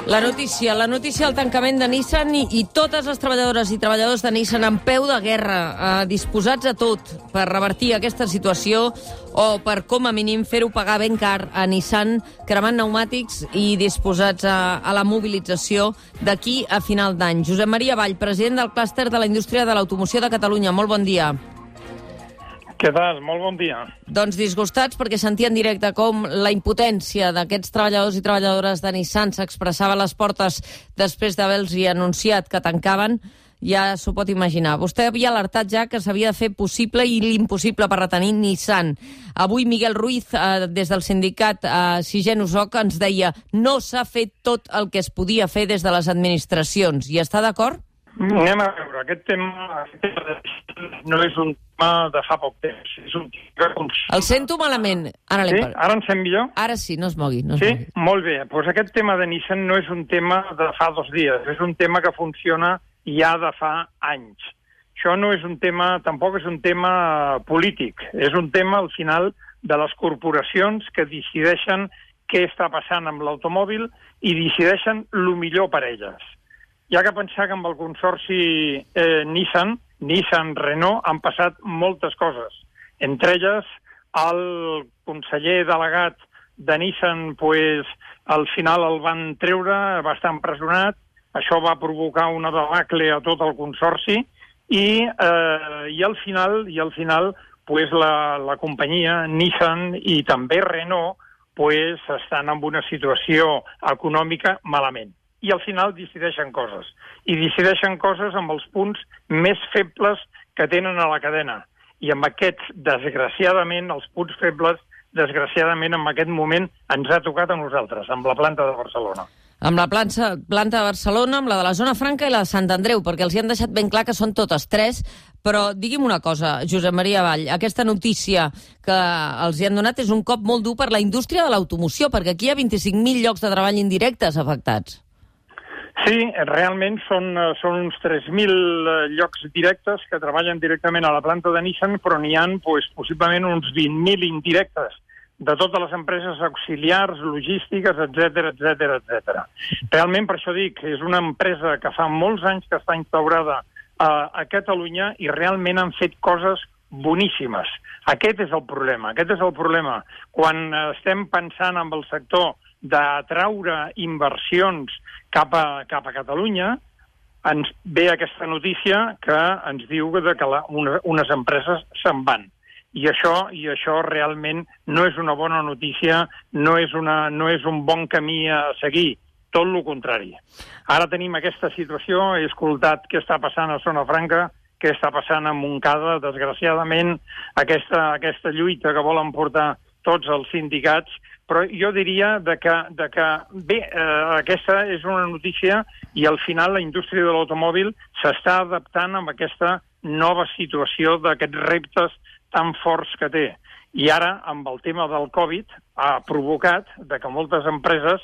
La notícia del tancament de Nissan i totes les treballadores i treballadors de Nissan en peu de guerra, disposats a tot per revertir aquesta situació o per, com a mínim, fer-ho pagar ben car a Nissan, cremant pneumàtics i disposats a la mobilització d'aquí a final d'any. Josep Maria Vall, president del clúster de la indústria de l'automoció de Catalunya. Molt bon dia. Què tal? Molt bon dia. Doncs disgustats perquè sentia en directe com la impotència d'aquests treballadors i treballadores de Nissan s'expressava a les portes després d'haver-los anunciat que tancaven. Ja s'ho pot imaginar. Vostè havia alertat ja que s'havia de fer possible i l'impossible per retenir Nissan. Avui Miguel Ruiz, des del sindicat Sisgen Usoc, ens deia no s'ha fet tot el que es podia fer des de les administracions. Hi està d'acord? Anem a veure. Aquest tema no és un tema de fa poc temps. És un tema... El sento malament. Ara sí? Ara em sent millor? Ara sí, no es mogui. Sí? Molt bé. Doncs aquest tema de Nissan no és un tema de fa 2 dies. És un tema que funciona ja de fa anys. Això no és un tema, tampoc és un tema polític. És un tema, al final, de les corporacions que decideixen què està passant amb l'automòbil i decideixen el millor per elles. Hi ha que pensar que amb el consorci Nissan-Renault han passat moltes coses. Entre elles, el conseller delegat de Nissan, al final el van treure, va estar empresonat. Això va provocar una debacle a tot el consorci i al final la companyia Nissan i també Renault estan en una situació econòmica malament. I al final decideixen coses. I decideixen coses amb els punts més febles que tenen a la cadena. I amb aquests, desgraciadament, els punts febles, desgraciadament, en aquest moment ens ha tocat a nosaltres, amb la planta de Barcelona. Amb la planta de Barcelona, amb la de la Zona Franca i la de Sant Andreu, perquè els hi han deixat ben clar que són totes 3, però digui'm una cosa, Josep Maria Vall, aquesta notícia que els hi han donat és un cop molt dur per la indústria de l'automoció, perquè aquí hi ha 25.000 llocs de treball indirectes afectats. Sí, realment són uns 3.000 llocs directes que treballen directament a la planta de Nissan, però n'hi ha possiblement uns 20.000 indirectes de totes les empreses auxiliars, logístiques, etc. Realment, per això dic, és una empresa que fa molts anys que està instaurada a Catalunya i realment han fet coses boníssimes. Aquest és el problema. Quan estem pensant en el sector d'atraure inversions cap a Catalunya, ens ve aquesta notícia que ens diu que unes empreses se'n van. I això realment no és una bona notícia, no és un bon camí a seguir, tot el contrari. Ara tenim aquesta situació, he escoltat què està passant a Zona Franca, què està passant a Montcada, desgraciadament, aquesta lluita que volen portar tots els sindicats, però jo diria aquesta és una notícia i al final la indústria de l'automòbil s'està adaptant a aquesta nova situació d'aquests reptes tan forts que té. I ara, amb el tema del Covid, ha provocat que moltes empreses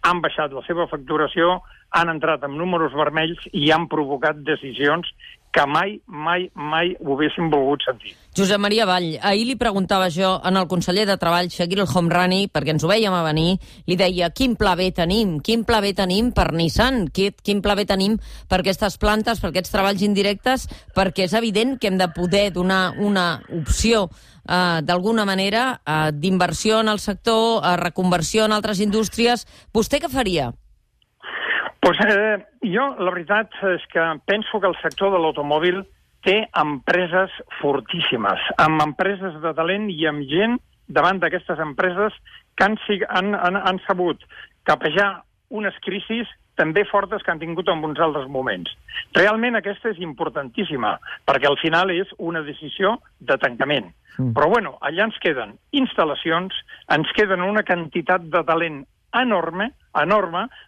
han baixat la seva facturació, han entrat en números vermells i han provocat decisions que mai ho haguéssim volgut sentir. Josep Maria Vall, ahir li preguntava jo al conseller de Treball, Shakir El Homrani, perquè ens ho vèiem a venir, li deia quin pla B tenim per Nissan, quin pla B tenim per aquestes plantes, per aquests treballs indirectes, perquè és evident que hem de poder donar una opció d'alguna manera d'inversió en el sector, reconversió en altres indústries. Vostè què faria? Jo, la veritat és que penso que el sector de l'automòbil té empreses fortíssimes, amb empreses de talent i amb gent davant d'aquestes empreses que han sabut capejar unes crisis també fortes que han tingut en uns altres moments. Realment aquesta és importantíssima, perquè al final és una decisió de tancament. Però allà ens queden instal·lacions, ens queden una quantitat de talent enorme,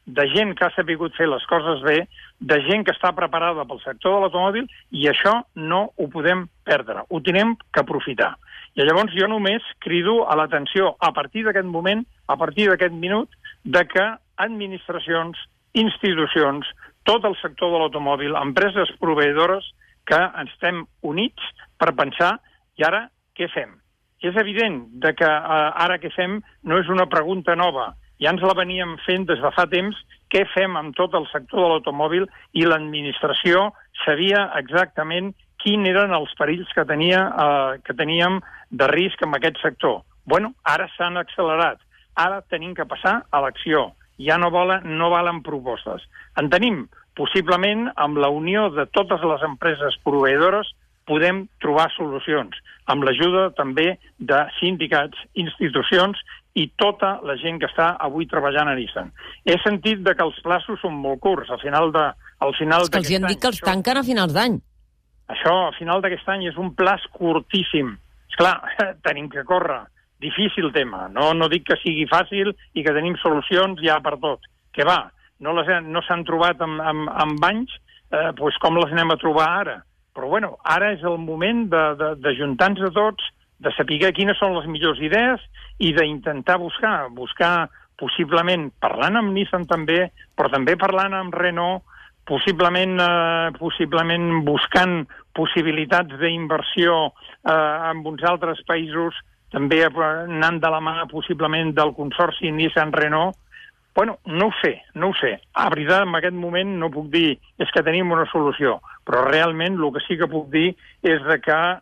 de gent que ha sabut fer les coses bé, de gent que està preparada pel sector de l'automòbil, i això no ho podem perdre, ho tenim que aprofitar. I llavors jo només crido a l'atenció a partir d'aquest moment, a partir d'aquest minut, de que administracions, institucions, tot el sector de l'automòbil, empreses proveïdores, que estem units per pensar, i ara què fem? És evident que ara què fem no és una pregunta nova. ja ens la veníem fent des de fa temps, què fem amb tot el sector de l'automòbil, i l'administració sabia exactament quins eren els perills que teníem de risc en aquest sector. Bueno, ara s'han accelerat. Ara tenim que passar a l'acció. Ja no valen propostes. En tenim, possiblement, amb la unió de totes les empreses proveïdores, podem trobar solucions, amb l'ajuda també de sindicats, institucions i tota la gent que està avui treballant a Nissan. He sentit que els plaços són molt curts. Al final És que els hi han dit que els tanquen a finals d'any. Això, a final d'aquest any, és un plaç curtíssim. Esclar, tenim que córrer. Difícil tema. No dic que sigui fàcil i que tenim solucions ja per tot. Que va, no s'han trobat amb anys, doncs com les anem a trobar ara? Però bueno, ara és el moment d'ajuntar-nos a tots, de saber quines són les millors idees i d'intentar buscar possiblement, parlant amb Nissan també, però també parlant amb Renault, possiblement buscant possibilitats d'inversió en uns altres països, també anant de la mà possiblement del consorci Nissan-Renault. Bueno, no ho sé. A veritat, en aquest moment no puc dir és que tenim una solució, però realment el que sí que puc dir és que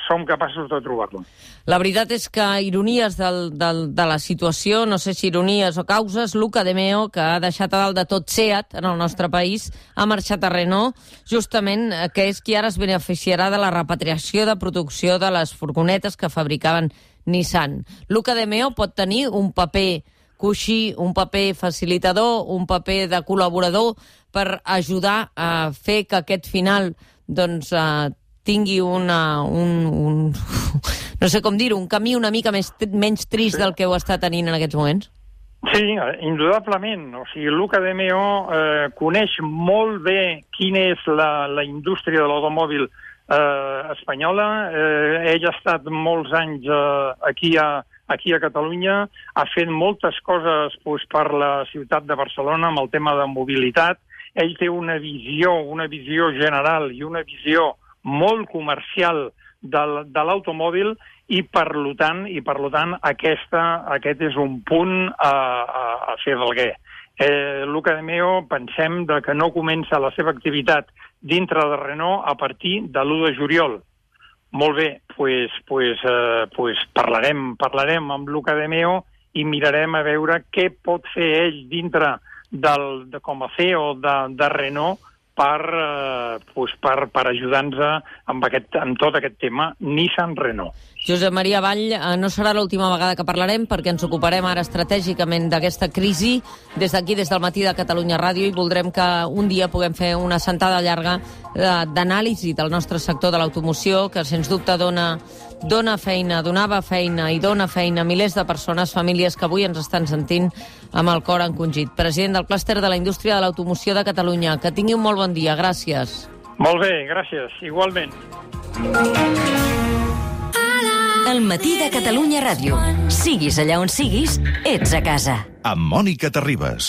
som capaços de trobar-lo. La veritat és que ironies de la situació, no sé si ironies o causes, Luca De Meo, que ha deixat a dalt de tot SEAT en el nostre país, ha marxat a Renault, justament que és qui ara es beneficiarà de la repatriació de producció de les furgonetes que fabricaven Nissan. Luca De Meo pot tenir un paper coixí, un paper facilitador, un paper de col·laborador per ajudar a fer que aquest final tingui no sé com dir-ho, un camí una mica menys trist del que ho està tenint en aquests moments? Sí, indudablement. O sigui, Luca De Meo coneix molt bé quina és la indústria de l'automòbil espanyola. Ell ha estat molts anys aquí a Catalunya, ha fet moltes coses per la ciutat de Barcelona amb el tema de mobilitat. Ell té una visió general i una visió molt comercial de l'automòbil i per tant aquest és un punt a fer valguer. Luca De Meo pensem que no comença la seva activitat dintre de Renault a partir de l'1 de juliol. Molt bé, doncs parlarem amb Luca De Meo i mirarem a veure què pot fer ell dintre com a CEO de Renault per ajudar-nos amb tot aquest tema Nissan-Renault. Josep Maria Vall, no serà l'última vegada que parlarem perquè ens ocuparem ara estratègicament d'aquesta crisi des d'aquí, des del matí de Catalunya Ràdio, i voldrem que un dia puguem fer una sentada llarga d'anàlisi del nostre sector de l'automoció, que sens dubte donava feina i dona feina a milers de persones, famílies que avui ens estan sentint amb el cor encongit. President del clúster de la indústria de l'automoció de Catalunya, que tingui un molt bon dia. Gràcies. Molt bé, gràcies. Igualment. El matí de Catalunya Ràdio. Siguis allà on siguis, ets a casa. Amb Mònica Terribas.